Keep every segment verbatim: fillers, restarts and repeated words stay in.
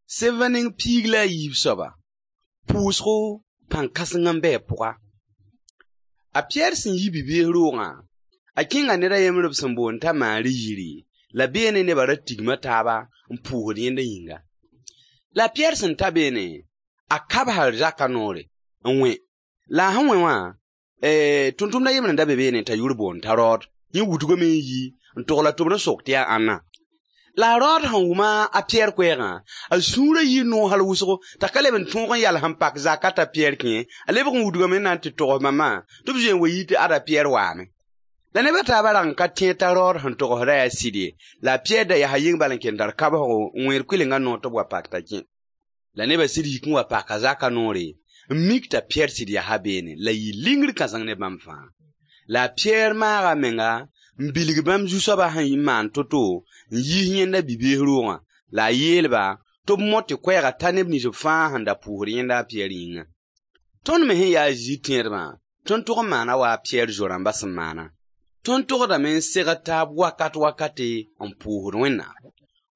Sevã neng piig la a yiib soaba, pʋʋsgo pãn-kãseng n bɩ a pʋga. A Piyɛr sẽn yi bi-bees roogã, a kẽnga ned a yembr b sẽn boond t'a Maari yiri, la beene nebã ra tigma taaba n pʋʋsd yẽnda yĩnga. La a Piyɛr sẽn ta beene, a kabsa zakã noore n wẽ. La a sẽn wẽ wã, tʋmtʋmd a yembr n da be beene t'a yʋʋr boond t'a Rod. Yẽ wudgame n yi n togl a tʋbr n sok tɩ yaa ãnna. La a Rod sẽn wʋma a Piyɛr koɛɛgã, a sũurã yɩ noog hal wʋsgo t'a ka leb n tõog n yals n pak zakã t'a Piyɛr kẽ. A lebg n wudgame n na n tɩ togs bãmbã tɩ b zoe n wa yɩ tɩ ada Piyɛr waame. La neb a taabã rag n ka tẽed t'a Rod sẽn togsdã yaa sɩd ye. La a Piyɛr da yaa yeng bal n ken tar kabsgo n wẽed kʋɩlengã noor tɩ b wa pak t'a kẽ. La nebã sɩd yik n wa paka zakã noore n mik t'a Piyɛr sɩd yaa beene la yɩ lingr kãseng ne bãmb fãa. La a Piyɛr maaga a menga n bilg bãmb zu-soabã sẽn maan to-to n yiis yẽnda bi-bees roogã. La a yeel-ba tɩ b mot tɩ koɛɛgã ta neb nins fãa sẽn da pʋʋsd yẽnda a Piyɛr yĩnga. Tõnd me sẽn yaa a Zezi tẽedbã, tõnd tʋg n maana wa a Piyɛr zo-rãmbã sẽn maana. Tõnd togdame n segd taab wakat wakate n pʋʋsd Wẽnnaam.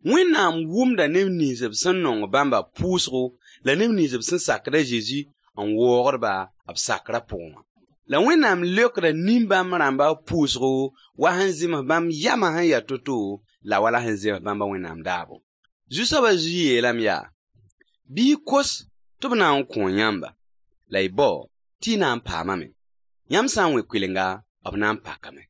Wẽnnaam wʋmda neb nins b sẽn nong bãmba pʋʋsgo la neb nins b sẽn sakd a Zezi n waoogd-ba b sakrã pʋgẽ wã. La Wẽnnaam leokda nin-bãmb rãmba pʋʋsgo wa sẽn zems bãmb yamã sẽn yaa to-to la wala sẽn zems bãmba Wẽnnaam daabo. Zu-soabã Zezi yeelame yaa: bɩ y kos tɩ b na n kõ yãmba, la y bao tɩ y na n paamame. Yãmb sã n wẽ kʋɩlenga, b na n pakame.